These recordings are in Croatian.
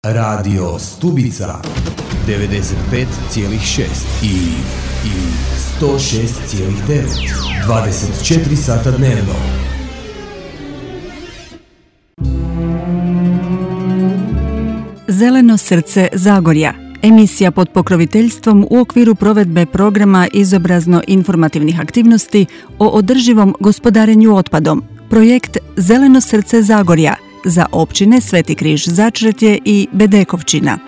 Radio Stubica 95,6 i 106,9 24 sata dnevno. Zeleno srce Zagorja. Emisija pod pokroviteljstvom u okviru provedbe programa izobrazno-informativnih aktivnosti o održivom gospodarenju otpadom. Projekt Zeleno srce Zagorja za općine Sveti Križ Začretje i Bedekovčina.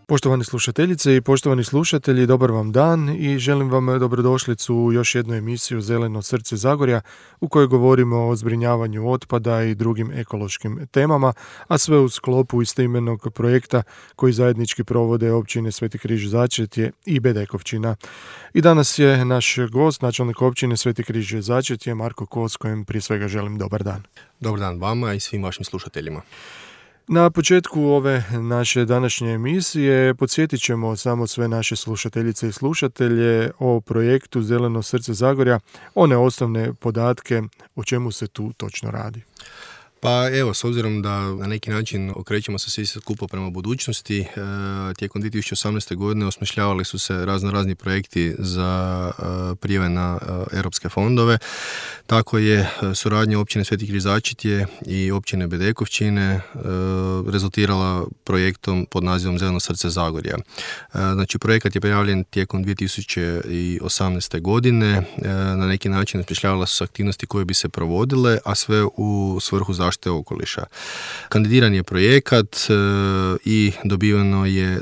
Poštovane slušateljice i poštovani slušatelji, dobar vam dan i želim vam dobrodošlicu u još jednu emisiju Zeleno srce Zagorja u kojoj govorimo o zbrinjavanju otpada i drugim ekološkim temama, a sve u sklopu istoimenog projekta koji zajednički provode općine Sveti Križ Začretje i Bedekovčina. I danas je naš gost, načelnik općine Sveti Križ Začretje, Marko Kos, kojem prije svega želim dobar dan. Dobar dan vama i svim vašim slušateljima. Na početku ove naše današnje emisije podsjetit ćemo samo sve naše slušateljice i slušatelje o projektu Zeleno srce Zagorja, one osnovne podatke o čemu se tu točno radi. Pa evo, s obzirom da na neki način okrećemo se svi skupo prema budućnosti, tijekom 2018. godine osmišljavali su se razni projekti za prijave na europske fondove. Tako je suradnja općine Sveti Križ Začretje i općine Bedekovčine rezultirala projektom pod nazivom Zeleno srce Zagorja. Znači, projekat je prijavljen tijekom 2018. godine. Na neki način osmišljavale su se aktivnosti koje bi se provodile, a sve u svrhu zaštite okoliša. Kandidiran je projekat i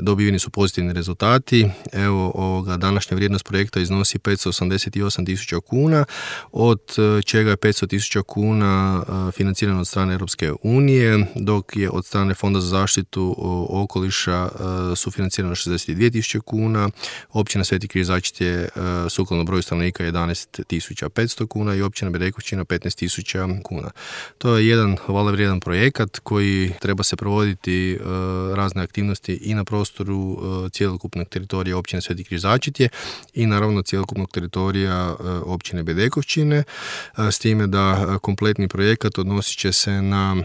dobiveni su pozitivni rezultati. Evo, današnja vrijednost projekta iznosi 588.000 kuna, od čega je 500.000 kuna financirano od strane Europske unije, dok je od strane Fonda za zaštitu okoliša sufinancirano 62.000 kuna, općina Sveti Križ Začretje sukladno broju stanovnika 11.500 kuna i općina Bedekovčina 15.000 kuna. To je jedan hvale vrijedan projekat koji treba se provoditi razne aktivnosti i na prostoru cjelokupnog teritorija općine Sveti Križ Začretje i naravno cjelokupnog teritorija općine Bedekovčine, s time da kompletni projekat odnosit će se na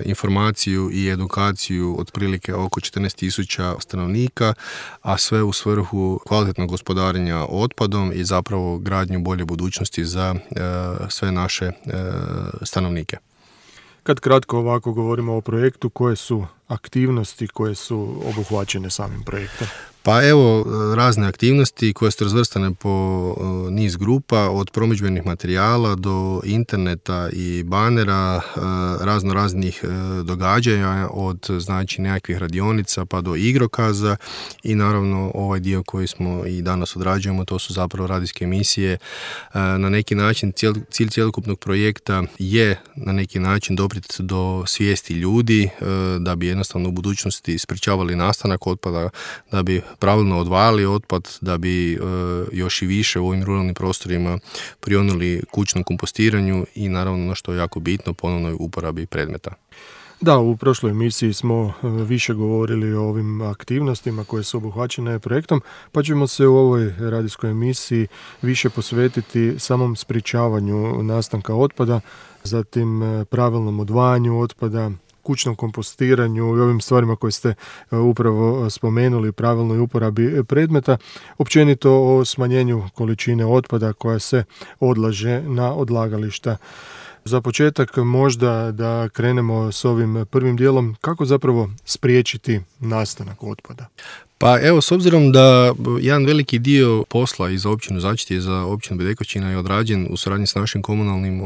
informaciju i edukaciju otprilike oko 14.000 stanovnika, a sve u svrhu kvalitetnog gospodarenja otpadom i zapravo gradnju bolje budućnosti za sve naše stanovnike. Kad kratko ovako govorimo o projektu, koje su aktivnosti koje su obuhvaćene samim projektom? Pa evo, razne aktivnosti koje su razvrstane po niz grupa, od promidžbenih materijala do interneta i banera, raznih događanja, od znači nekakvih radionica pa do igrokaza i naravno ovaj dio koji smo i danas odrađujemo, to su zapravo radijske emisije. Na neki način cilj cjelokupnog projekta je na neki način doprijeti do svijesti ljudi da bi jednostavno u budućnosti sprječavali nastanak otpada, da bi pravilno odvajali otpad, da bi još i više u ovim ruralnim prostorima prionuli kućnom kompostiranju i naravno ono što je jako bitno, ponovnoj uporabi predmeta. Da, u prošloj emisiji smo više govorili o ovim aktivnostima koje su obuhvaćene projektom, pa ćemo se u ovoj radijskoj emisiji više posvetiti samom sprječavanju nastanka otpada, zatim pravilnom odvajanju otpada, kućnom kompostiranju i ovim stvarima koje ste upravo spomenuli, pravilnoj uporabi predmeta, općenito o smanjenju količine otpada koja se odlaže na odlagališta. Za početak možda da krenemo s ovim prvim dijelom, kako zapravo spriječiti nastanak otpada? Pa evo, s obzirom da jedan veliki dio posla i za općinu Začretje i za općinu Bedekovčina je odrađen u suradnji s našim komunalnim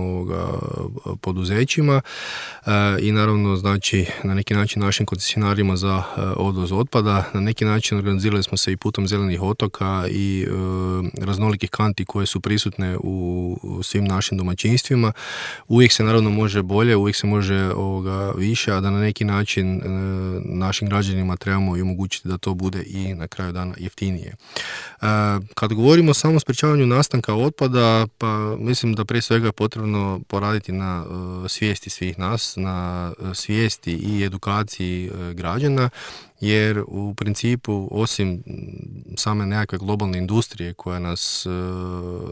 poduzećima i naravno znači na neki način našim koncesionarima za odvoz otpada, na neki način organizirali smo se i putem zelenih otoka i raznolikih kanti koje su prisutne u svim našim domaćinstvima. Uvijek se naravno može bolje, uvijek se može više, a da na neki način našim građanima trebamo i omogućiti da to bude i na kraju dana jeftinije. Kad govorimo o samom sprječavanju nastanka otpada, pa mislim da prije svega je potrebno poraditi na svijesti svih nas, na svijesti i edukaciji građana, jer u principu osim same nekakve globalne industrije koja nas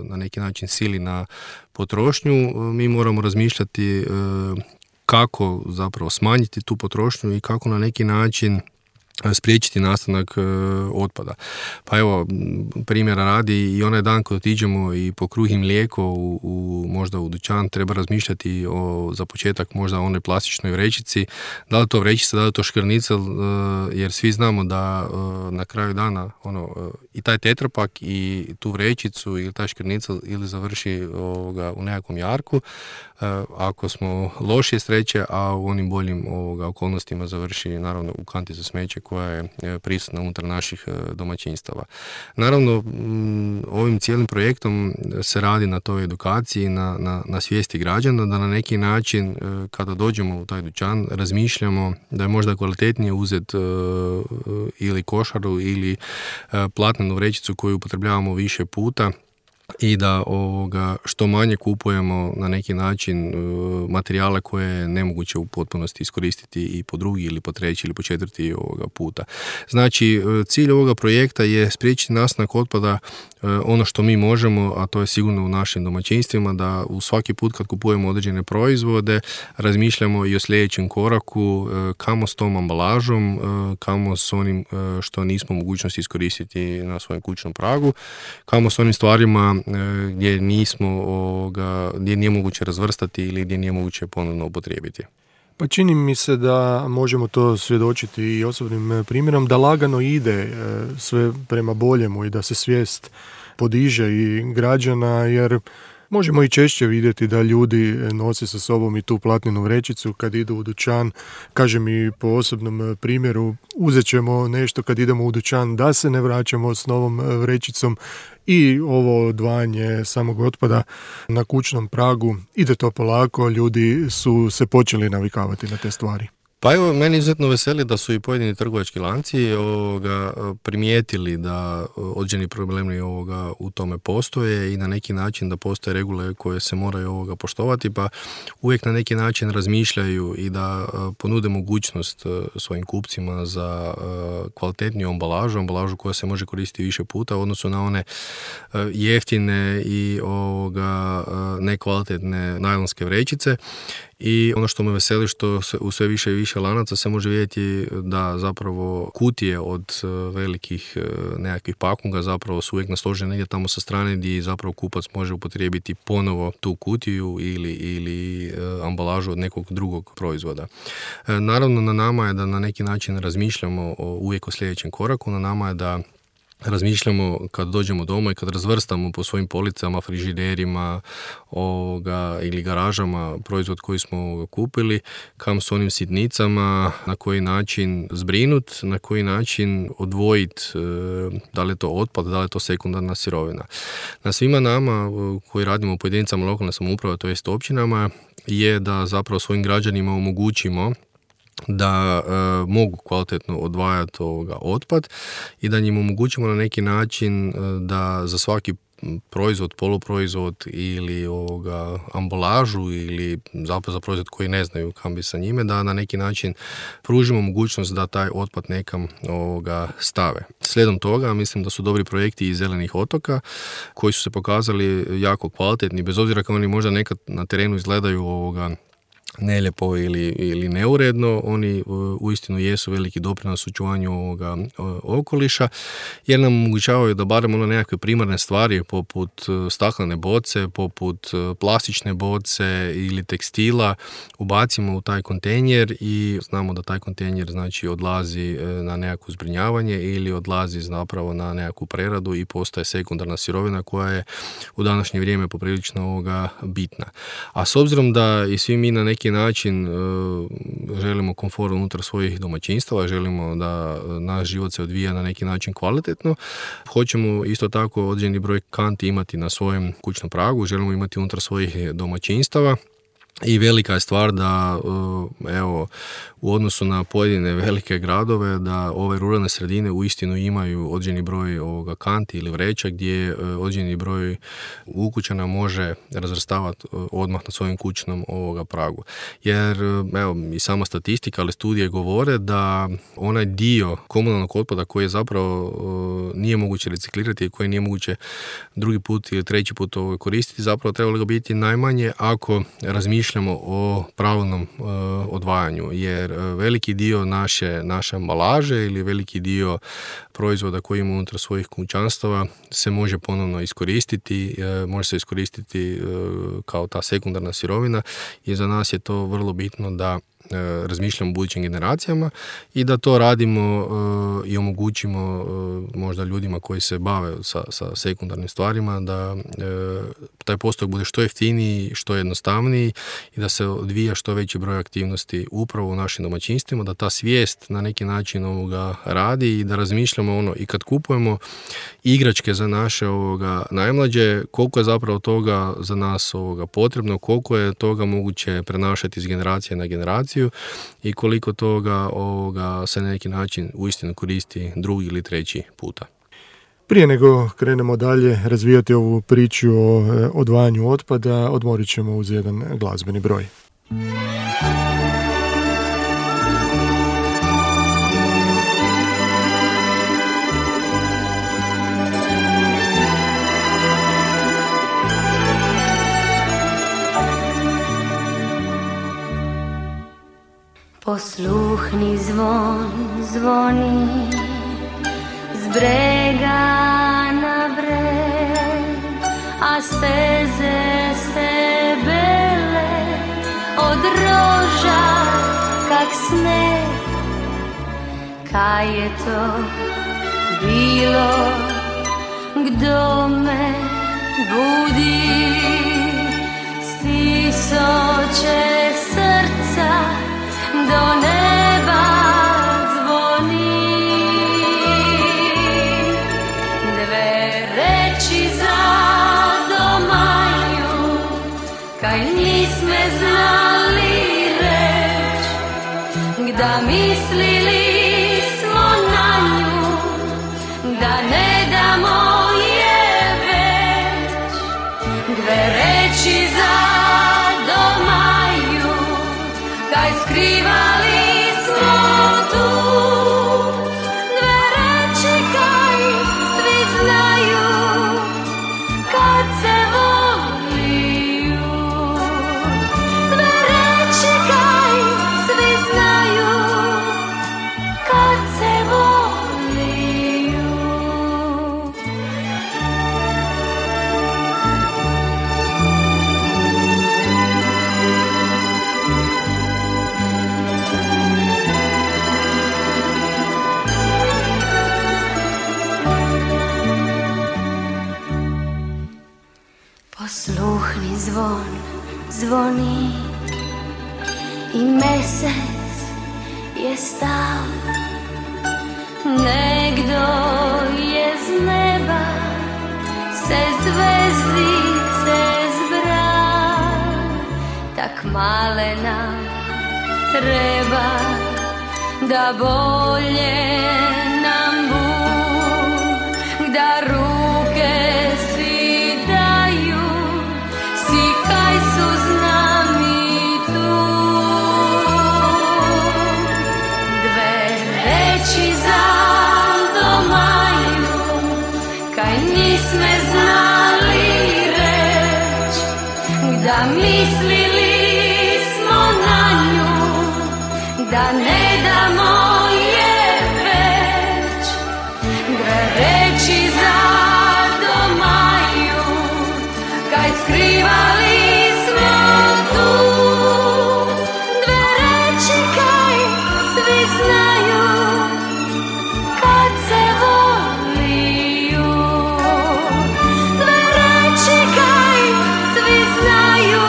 na neki način sili na potrošnju, mi moramo razmišljati kako zapravo smanjiti tu potrošnju i kako na neki način spriječiti nastanak otpada. Pa evo, primjera radi, i onaj dan kad otiđemo i po kruh i mlijeko možda u dućan, treba razmišljati za početak možda o onoj plastičnoj vrećici, da li to vrećica, da li to škrnica, jer svi znamo da na kraju dana i taj tetrapak i tu vrećicu ili taj škrnica ili završi u nekakvom jarku, ako smo lošije sreće, a u onim boljim okolnostima završi naravno u kanti za smeće koja je prisutna unutar naših domaćinstava. Naravno, ovim cijelim projektom se radi na toj edukaciji, na svijesti građana, da na neki način kada dođemo u taj dućan razmišljamo da je možda kvalitetnije uzeti ili košaru ili platnenu vrećicu koju upotrebljavamo više puta, i da što manje kupujemo na neki način materijale koje je nemoguće u potpunosti iskoristiti i po drugi ili po treći ili po četvrti puta. Znači, cilj ovoga projekta je spriječiti nastanak otpada, ono što mi možemo, a to je sigurno u našim domaćinstvima, da u svaki put kad kupujemo određene proizvode razmišljamo i o sljedećem koraku, kamo s tom ambalažom, kamo s onim što nismo u mogućnosti iskoristiti na svojem kućnom pragu, kamo s onim stvarima gdje nije moguće razvrstati ili gdje nije moguće ponovno upotrijebiti. Pa čini mi se da možemo to svjedočiti i osobnim primjerom, da lagano ide sve prema boljemu i da se svijest podiže i građana, jer možemo i češće vidjeti da ljudi nose sa sobom i tu platnenu vrećicu kad idu u dućan. Kažem i po osobnom primjeru, uzet ćemo nešto kad idemo u dućan da se ne vraćamo s novom vrećicom, i ovo odvajanje samog otpada na kućnom pragu ide to polako, ljudi su se počeli navikavati na te stvari. Pa evo, meni izuzetno veseli da su i pojedini trgovački lanci primijetili da određeni problemi u tome postoje i na neki način da postoje regule koje se moraju poštovati, pa uvijek na neki način razmišljaju i da ponude mogućnost svojim kupcima za kvalitetniju ambalažu koja se može koristiti više puta u odnosu na one jeftine i nekvalitetne najlonske vrećice. I ono što me veseli što u sve više i više lanaca se može vidjeti da zapravo kutije od velikih nekakvih pakunga zapravo su uvijek nasložene negdje tamo sa strane gdje zapravo kupac može upotrijebiti ponovo tu kutiju ili ambalažu od nekog drugog proizvoda. Naravno, na nama je da na neki način razmišljamo uvijek o sljedećem koraku, na nama je da razmišljamo kad dođemo doma i kad razvrstamo po svojim policama, frižiderima ili garažama proizvod koji smo kupili, kam s onim sitnicama, na koji način zbrinut, na koji način odvojiti, da li je to otpad, da li je to sekundarna sirovina. Na svima nama koji radimo u pojedincama lokalne samouprave, to jest općinama, je da zapravo svojim građanima omogućimo da mogu kvalitetno odvajati otpad i da njim omogućimo na neki način da za svaki proizvod, poluproizvod ili ambalažu ili zapravo za proizvod koji ne znaju kam bi sa njime, da na neki način pružimo mogućnost da taj otpad nekam stave. Slijedom toga mislim da su dobri projekti iz zelenih otoka koji su se pokazali jako kvalitetni, bez obzira kako oni možda nekad na terenu izgledaju nelijepo ili neuredno, oni uistinu jesu veliki doprinos očuvanju ovoga okoliša, jer nam omogućavaju da barem nekakve primarne stvari poput staklene boce, poput plastične boce ili tekstila ubacimo u taj kontejner i znamo da taj kontejner znači odlazi na nekakvo zbrinjavanje ili odlazi zapravo na nekakvu preradu i postaje sekundarna sirovina koja je u današnje vrijeme poprilično bitna. A s obzirom da i svi mi na neki način želimo komfort unutar svojih domaćinstava, želimo da naš život se odvija na neki način kvalitetno, hoćemo isto tako određeni broj kanti imati na svojem kućnom pragu, želimo imati unutar svojih domaćinstava. I velika je stvar da u odnosu na pojedine velike gradove da ove ruralne sredine uistinu imaju određeni broj kanti ili vreća gdje određeni broj ukućana može razvrstavati odmah na svojim kućnom pragu. Jer i sama statistika, ali studije govore da onaj dio komunalnog otpada koji je zapravo nije moguće reciklirati i koji nije moguće drugi put ili treći put koristiti, zapravo trebalo ga biti najmanje ako razmišljamo razmišljamo o pravilnom odvajanju, jer veliki dio naše ambalaže ili veliki dio proizvoda koji imamo unutar svojih kućanstava se može ponovno iskoristiti, može se iskoristiti kao ta sekundarna sirovina i za nas je to vrlo bitno da razmišljamo o budućim generacijama i da to radimo i omogućimo možda ljudima koji se bave sa sekundarnim stvarima da taj postupak bude što jeftiniji, što jednostavniji i da se odvija što veći broj aktivnosti upravo u našim domaćinstvima, da ta svijest na neki način radi i da razmišljamo i kad kupujemo igračke za naše najmlađe, koliko je zapravo toga za nas potrebno, koliko je toga moguće prenašati iz generacije na generaciju i koliko toga se na neki način uistinu koristi drugi ili treći puta. Prije nego krenemo dalje razvijati ovu priču o odvajanju otpada, odmorit ćemo uz jedan glazbeni broj. Posluhni zvon zvoni z brega na breg, a steze se bele od roža kak sneg. Kaj je to bilo, kdo me budi, stisoče srca do neba zvoni. Dve reči za domanju, kaj nisme znali reč, kda mislili smo na nju, da ne damo je već. Dve reči za domanju, kaj skrivali smo tu. Dve reči kaj svi znaju, kad se voliju. Dve reči kaj svi znaju, kad se voliju. Posluhni zvon zvoni i mesec je stal, negdo je z neba se zvezdice zbral. Tak male nam treba, da bolje nam Bog, da ruke si daju, si kaj su z nami tu. Dve reči za domanju, kaj nisme znali reč, da mislili smo na nju, da ne damo je već. Dve reči za domanju, kaj skrivali smo tu. Dve reči kaj svi znaju, kad se voliju. Dve reči kaj svi znaju,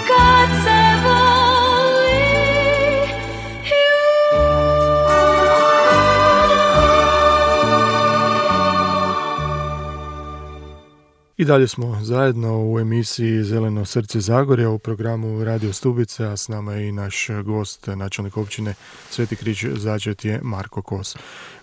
kad se voliju. I dalje smo zajedno u emisiji Zeleno srce Zagorja u programu Radio Stubica, a s nama je i naš gost, načelnik općine Sveti Križ Začetje, Marko Kos.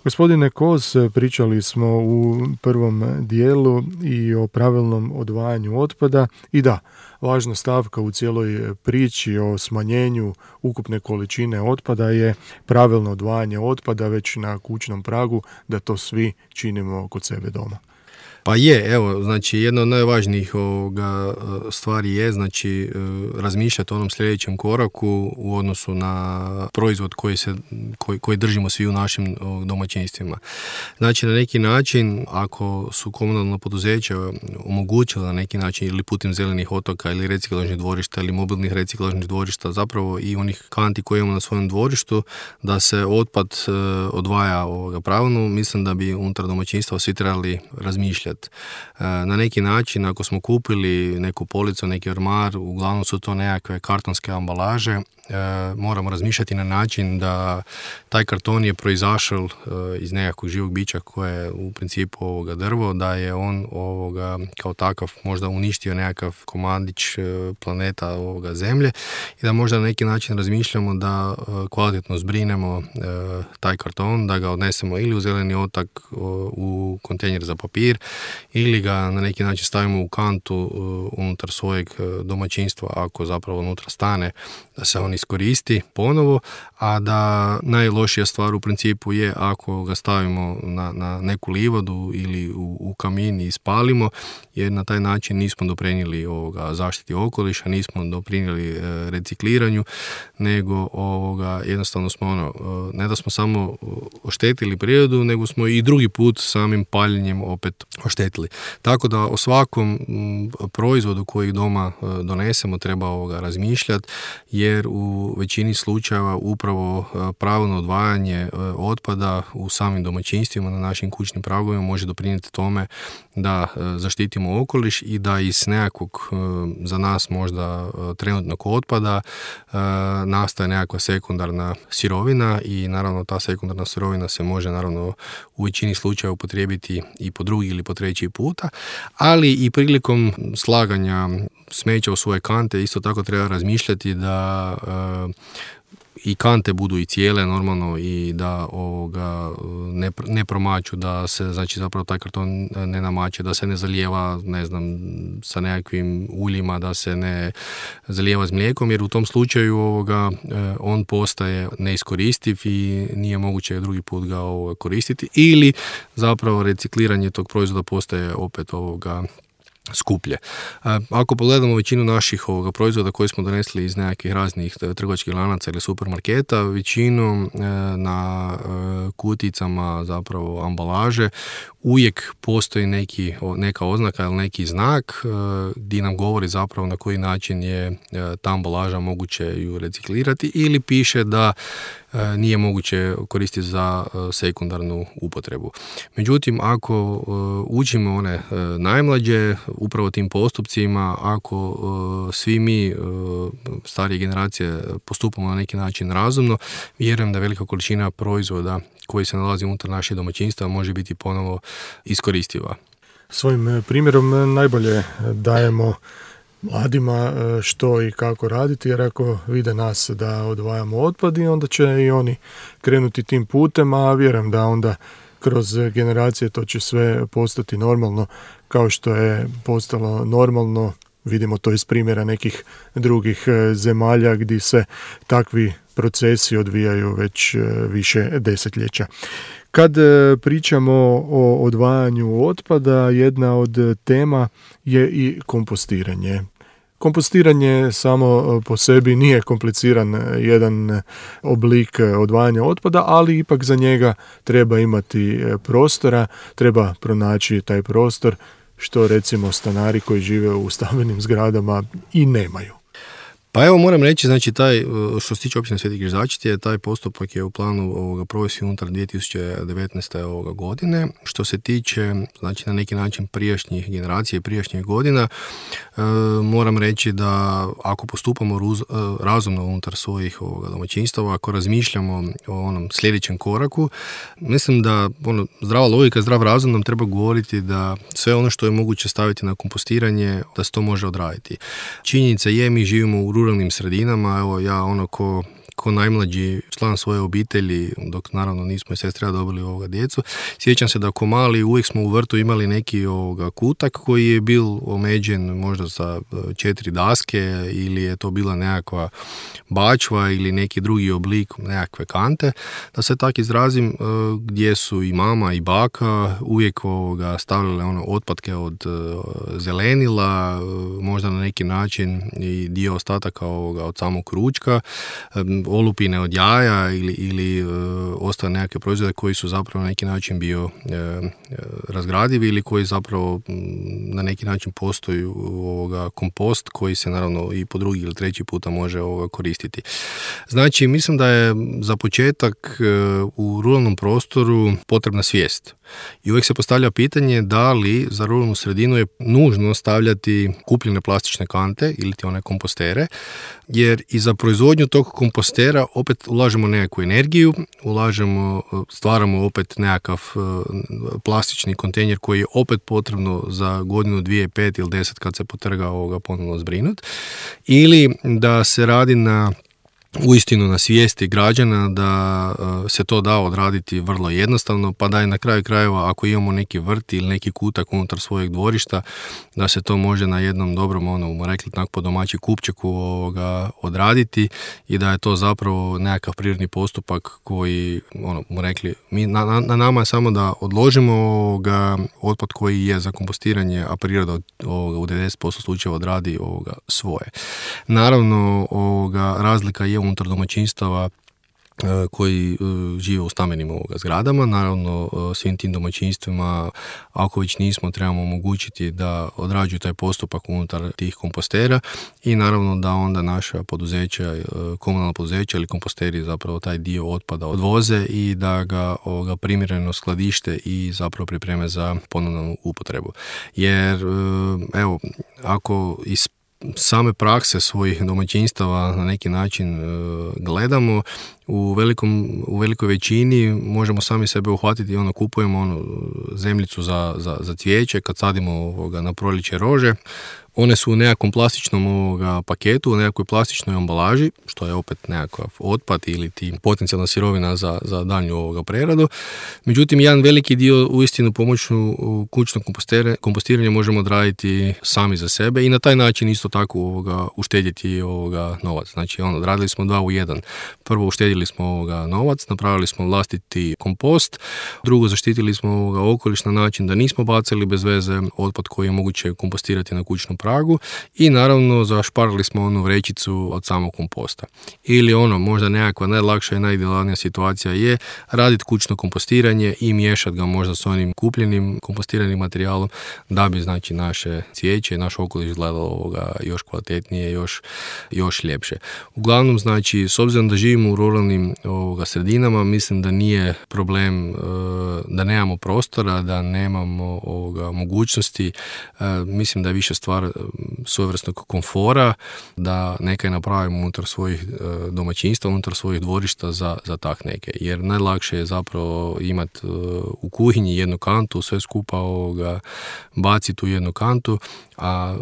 Gospodine Kos, pričali smo u prvom dijelu i o pravilnom odvajanju otpada i da, važna stavka u cijeloj priči o smanjenju ukupne količine otpada je pravilno odvajanje otpada već na kućnom pragu, da to svi činimo kod sebe doma. Pa je, evo, znači jedna od najvažnijih stvari je, znači, razmišljati o onom sljedećem koraku u odnosu na proizvod koji držimo svi u našim domaćinstvima. Znači, na neki način, ako su komunalna poduzeća omogućila na neki način ili putem zelenih otoka ili reciklažnih dvorišta ili mobilnih reciklažnih dvorišta, zapravo i onih kanti koje imamo na svojem dvorištu, da se otpad odvaja pravilno, mislim da bi unutar domaćinstva svi trebali razmišljati. Na neki način, ako smo kupili neku policu, neki ormar, uglavnom su to nekakve kartonske ambalaže, moramo razmišljati na način da taj karton je proizašao iz nekakvog živog bića koje je u principu drvo, da je on kao takav možda uništio nekakav komadić planeta zemlje i da možda na neki način razmišljamo da kvalitetno zbrinemo taj karton, da ga odnesemo ili u zeleni otok, u kontejner za papir, ili ga na neki način stavimo u kantu unutar svojeg domaćinstva, ako zapravo unutra stane, da se on iskoristi ponovo, a da najlošija stvar u principu je ako ga stavimo na neku livadu ili u kamin i spalimo, jer na taj način nismo doprinijeli zaštiti okoliša, nismo doprinijeli recikliranju, nego jednostavno smo ne da smo samo oštetili prirodu, nego smo i drugi put samim paljenjem opet oštetili. Tako da o svakom proizvodu koji doma donesemo treba razmišljati, jer u većini slučajeva upravo pravilno odvajanje otpada u samim domaćinstvima na našim kućnim pragovima može doprinijeti tome da zaštitimo okoliš i da iz nekakvog za nas možda trenutnog otpada nastaje nekakva sekundarna sirovina i naravno ta sekundarna sirovina se može naravno u većini slučajeva upotrijebiti i po drugi ili po treći puta, ali i prilikom slaganja smeća u svoje kante isto tako treba razmišljati da i kante budu i cijele normalno i da ne promaču, da se znači zapravo taj karton ne namače, da se ne zalijeva sa nekakvim uljima, da se ne zalijeva s mlijekom, jer u tom slučaju on postaje neiskoristiv i nije moguće drugi put ga koristiti, ili zapravo recikliranje tog proizvoda postaje opet skuplje. Ako pogledamo većinu naših proizvoda koje smo donesli iz nekakvih raznih trgovačkih lanaca ili supermarketa, većinu na kuticama zapravo ambalaže uvijek postoji neka oznaka ili neki znak gdje nam govori zapravo na koji način je ta ambalaža moguće ju reciklirati, ili piše da nije moguće koristiti za sekundarnu upotrebu. Međutim, ako učimo one najmlađe upravo tim postupcima, ako svi mi starije generacije postupamo na neki način razumno, vjerujem da velika količina proizvoda koji se nalazi unutar naših domaćinstva može biti ponovo iskoristiva. Svojim primjerom najbolje dajemo mladima što i kako raditi, jer ako vide nas da odvajamo otpad, i onda će i oni krenuti tim putem, a vjerujem da onda kroz generacije to će sve postati normalno, kao što je postalo normalno, vidimo to iz primjera nekih drugih zemalja gdje se takvi procesi odvijaju već više desetljeća. Kad pričamo o odvajanju otpada, jedna od tema je i kompostiranje. Kompostiranje samo po sebi nije kompliciran jedan oblik odvajanja otpada, ali ipak za njega treba imati prostora, treba pronaći taj prostor, što recimo stanari koji žive u stambenim zgradama i nemaju. Pa evo moram reći, znači taj, što se tiče općine Sveti Križačiti, taj postupak je u planu provesti unutar 2019. godine. Što se tiče, znači na neki način prijašnjih generacija i prijašnjih godina, moram reći da ako postupamo razumno unutar svojih domaćinstava, ako razmišljamo o onom sljedećem koraku, mislim da zdrava logika, zdrav razum nam treba govoriti da sve ono što je moguće staviti na kompostiranje, da se to može odraditi. Činjenica je, mi živimo u ruralnim sredinama, evo ja ko ko najmlađi član svoje obitelji, dok naravno nismo i sestra dobili djecu. Sjećam se da ko mali uvijek smo u vrtu imali neki kutak koji je bil omeđen možda sa 4 daske ili je to bila nekakva bačva ili neki drugi oblik nekakve kante. Da se tak izrazim, gdje su i mama i baka uvijek stavljale otpadke od zelenila, možda na neki način i dio ostataka od samog ručka, olupine od jaja ili ostale nekakve proizvode koji su zapravo na neki način bio razgradivi ili koji zapravo na neki način postoji kompost koji se naravno i po drugi ili treći puta može koristiti. Znači, mislim da je za početak u ruralnom prostoru potrebna svijest. I uvijek se postavlja pitanje da li za ruralnu sredinu je nužno stavljati kupljene plastične kante ili ti one kompostere, jer i za proizvodnju tog kompostera opet ulažemo nekakvu energiju, stvaramo opet nekakav plastični kontejner koji je opet potrebno za godinu, 2, 5 ili 10 kad se potrga ponovno zbrinut. Ili da se radi uistinu na svijesti građana da se to da odraditi vrlo jednostavno, pa da je na kraju krajeva ako imamo neki vrt ili neki kutak unutar svojeg dvorišta, da se to može na jednom dobrom, rekli tako po domaći kupčeku odraditi i da je to zapravo nekakav prirodni postupak koji, rekli, na nama je samo da odložimo otpad koji je za kompostiranje, a priroda u 90% slučajeva odradi svoje. Naravno, razlika je unutar domaćinstava koji žive u stambenim zgradama. Naravno, svim tim domaćinstvima, ako već nismo, trebamo omogućiti da odrađuju taj postupak unutar tih kompostera i naravno da onda naša poduzeća, komunalna poduzeća ili komposteri zapravo taj dio otpada odvoze i da ga primjereno skladište i zapravo pripreme za ponovnu upotrebu. Jer, evo, ako iz same prakse svojih domaćinstava na neki način gledamo, u velikoj većini možemo sami sebe uhvatiti, kupujemo zemljicu za cvijeće, kad sadimo na proljeće rože, one su u nekakvom plastičnom paketu, u nekakvoj plastičnoj ambalaži, što je opet nekakav otpad ili ti potencijalna sirovina za daljnju preradu. Međutim, jedan veliki dio uistinu pomoću kućnog kompostiranja možemo odraditi sami za sebe i na taj način isto tako uštedjeti novac. Znači, odradili smo 2 u 1. Prvo, uštedili smo novac, napravili smo vlastiti kompost, drugo, zaštitili smo okoliš na način da nismo bacili bez veze otpad koji je moguće kompostirati na kućnom pragu i naravno zašparili smo onu vrećicu od samog komposta. Ili možda nekakva najlakša i najidealnija situacija je raditi kućno kompostiranje i miješati ga možda s onim kupljenim kompostiranim materijalom da bi znači naše cvijeće i naš okoliš izgledalo još kvalitetnije, još ljepše. Uglavnom, znači, s obzirom da živimo u ruralnim sredinama, mislim da nije problem da nemamo prostora, da nemamo mogućnosti. Mislim da je više stvar svojevrsnog komfora, da nekaj napravimo unutar svojih domaćinstva, unutar svojih dvorišta za tak neke. Jer najlakše je zapravo imati u kuhinji jednu kantu, sve skupa baciti u jednu kantu, a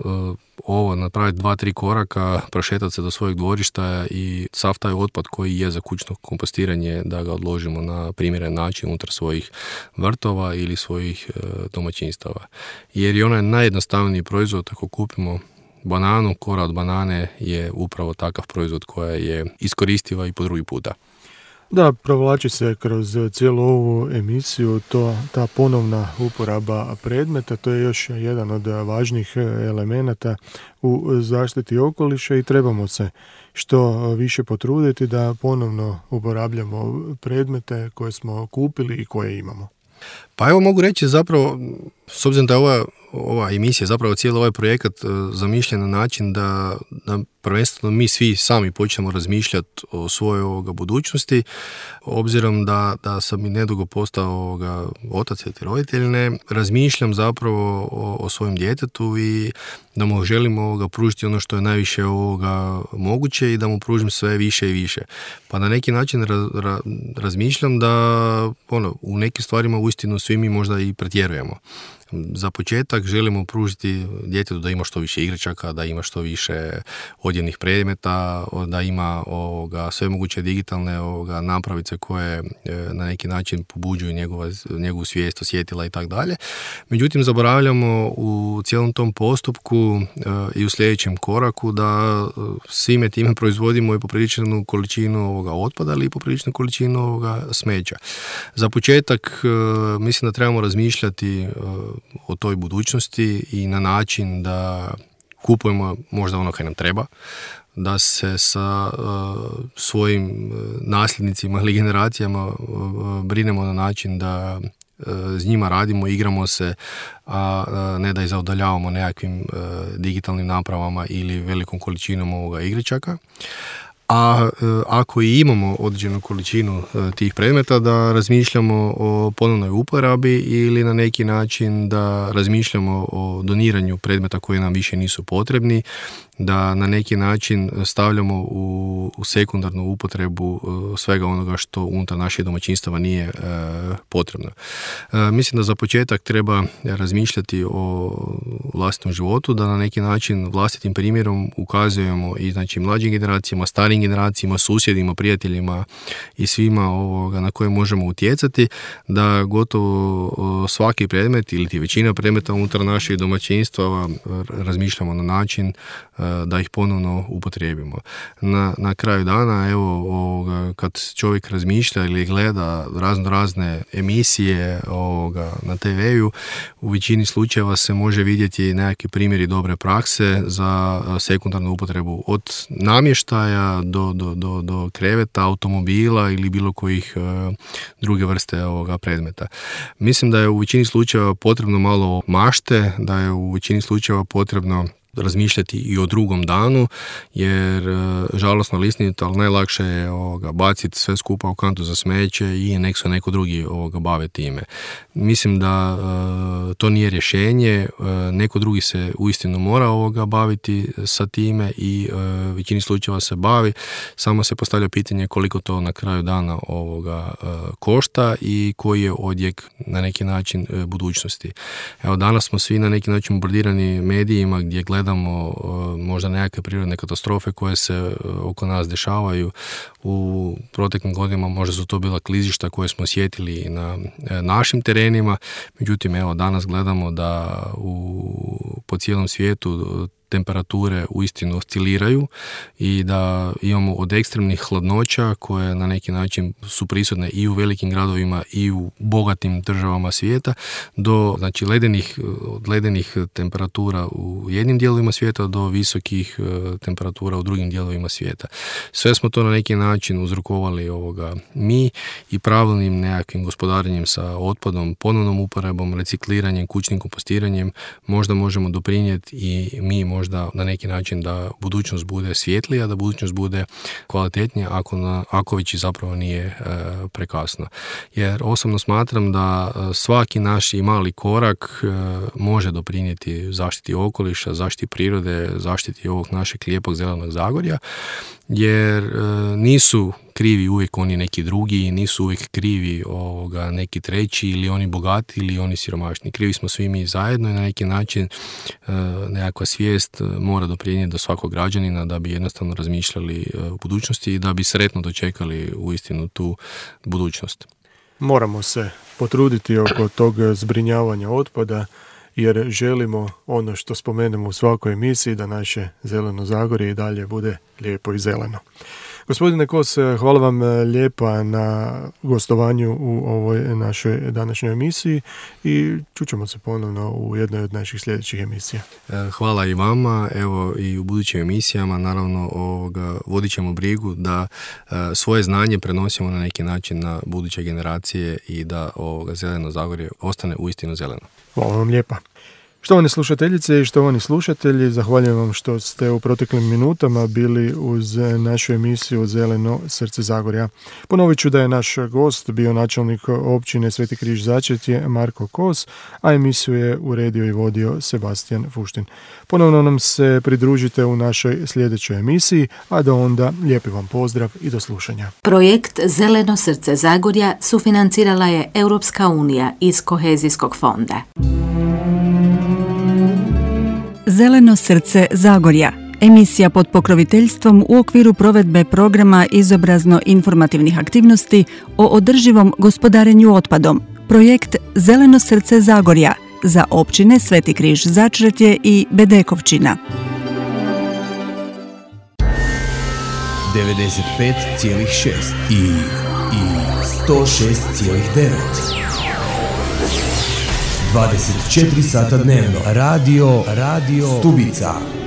napraviti 2-3 koraka, prošetati se do svojeg dvorišta i sav taj otpad koji je za kućno kompostiranje da ga odložimo na primjeren način unutar svojih vrtova ili svojih domaćinstava. Jer je onaj najjednostavniji proizvod, ako kupimo bananu, kora od banane je upravo takav proizvod koja je iskoristiva i po drugi puta. Da, provlači se kroz cijelu ovu emisiju ta ponovna uporaba predmeta, to je još jedan od važnih elemenata u zaštiti okoliša i trebamo se što više potruditi da ponovno uporabljamo predmete koje smo kupili i koje imamo. Pa evo, mogu reći zapravo, s obzirom da je ova emisija, zapravo cijeli ovaj projekat zamišljen na način da prvenstveno mi svi sami počnemo razmišljati o svojoj budućnosti, obzirom da sam i nedugo postao otac ili roditelj, razmišljam zapravo o svojem djetetu i da mu želim pružiti ono što je najviše moguće i da mu pružim sve više i više. Pa na neki način razmišljam da u nekim stvarima uistinu svi mi možda i pretjerujemo. Za početak želimo pružiti djetetu da ima što više igračaka, da ima što više odjevnih predmeta, da ima sve moguće digitalne napravice koje na neki način pobuđuju njegovu svijest, osjetila i tako dalje. Međutim, zaboravljamo u cijelom tom postupku i u sljedećem koraku da svime time proizvodimo i popriličnu količinu otpada, ali i popriličnu količinu smeća. Za početak mislim da trebamo razmišljati o toj budućnosti i na način da kupujemo možda ono kaj nam treba, da se sa svojim nasljednicima ili generacijama brinemo na način da s njima radimo, igramo se, a ne da ih zaudaljavamo nekakvim digitalnim napravama ili velikom količinom igračaka. A ako i imamo određenu količinu tih predmeta, da razmišljamo o ponovnoj uporabi ili na neki način da razmišljamo o doniranju predmeta koji nam više nisu potrebni, da na neki način stavljamo u sekundarnu upotrebu svega onoga što unutar naših domaćinstava nije potrebno. Mislim da za početak treba razmišljati o vlastitom životu, da na neki način vlastitim primjerom ukazujemo i znači mlađim generacijama, starijim generacijama, susjedima, prijateljima i svima na koje možemo utjecati, da gotovo svaki predmet ili većina predmeta unutar naših domaćinstava razmišljamo na način da ih ponovno upotrijebimo. Na kraju dana, kad čovjek razmišlja ili gleda razne emisije na TV-u, u većini slučajeva se može vidjeti nekakvi primjeri dobre prakse za sekundarnu upotrebu od namještaja do kreveta, automobila ili bilo kojih druge vrste predmeta. Mislim da je u većini slučajeva potrebno malo mašte, da je u većini slučajeva potrebno razmišljati i o drugom danu, jer žalosno lisnito, ali najlakše je baciti sve skupa u kantu za smeće i nek se neko drugi bave time. Mislim da to nije rješenje, neko drugi se uistinu mora baviti sa time i većini slučajeva se bavi, samo se postavlja pitanje koliko to na kraju dana košta i koji je odjek na neki način budućnosti. Evo, danas smo svi na neki način bombardirani medijima gdje gledamo možda nekakve prirodne katastrofe koje se oko nas dešavaju. U proteklim godinama možda su to bila klizišta koje smo osjetili na našim terenima, međutim danas gledamo da po cijelom svijetu temperature uistinu osciliraju i da imamo od ekstremnih hladnoća koje na neki način su prisutne i u velikim gradovima i u bogatim državama svijeta do ledenih temperatura u jednim dijelovima svijeta do visokih temperatura u drugim dijelovima svijeta. Sve smo to na neki način uzrokovali mi i pravilnim nekakvim gospodarenjem sa otpadom, ponovnom uporabom, recikliranjem, kućnim kompostiranjem možda možemo doprinijeti i mi možda na neki način da budućnost bude svjetlija, da budućnost bude kvalitetnija ako već i zapravo nije prekasno. Jer osobno smatram da svaki naš i mali korak može doprinijeti zaštiti okoliša, zaštiti prirode, zaštiti ovog našeg lijepog zelenog Zagorja, jer nisu krivi uvijek oni neki drugi, nisu uvijek krivi neki treći ili oni bogati ili oni siromašni. Krivi smo svi mi zajedno i na neki način nekakva svijest mora doprinijeti do svakog građanina da bi jednostavno razmišljali u budućnosti i da bi sretno dočekali uistinu tu budućnost. Moramo se potruditi oko tog zbrinjavanja otpada, jer želimo ono što spomenemo u svakoj emisiji, da naše zeleno Zagorje i dalje bude lijepo i zeleno. Gospodine Kos, hvala vam lijepa na gostovanju u ovoj našoj današnjoj emisiji i čućemo se ponovno u jednoj od naših sljedećih emisija. Hvala i vama, evo i u budućim emisijama naravno vodit ćemo brigu da svoje znanje prenosimo na neki način na buduće generacije i da zeleno Zagorje ostane uistinu zeleno. Hvala vam lijepa. Štovane slušateljice i štovani slušatelji, zahvaljujem vam što ste u proteklim minutama bili uz našu emisiju Zeleno srce Zagorja. Ponovit ću da je naš gost bio načelnik općine Sveti Križ Začetje Marko Kos, a emisiju je uredio i vodio Sebastian Fuštin. Ponovno nam se pridružite u našoj sljedećoj emisiji, a do onda lijepi vam pozdrav i do slušanja. Projekt Zeleno srce Zagorja sufinancirala je Europska unija iz Kohezijskog fonda. Zeleno srce Zagorja, emisija pod pokroviteljstvom u okviru provedbe programa izobrazno-informativnih aktivnosti o održivom gospodarenju otpadom. Projekt Zeleno srce Zagorja za općine Sveti Križ Začretje i Bedekovčina. 95,6 i 106,9. 24 sata dnevno. Radio Stubica.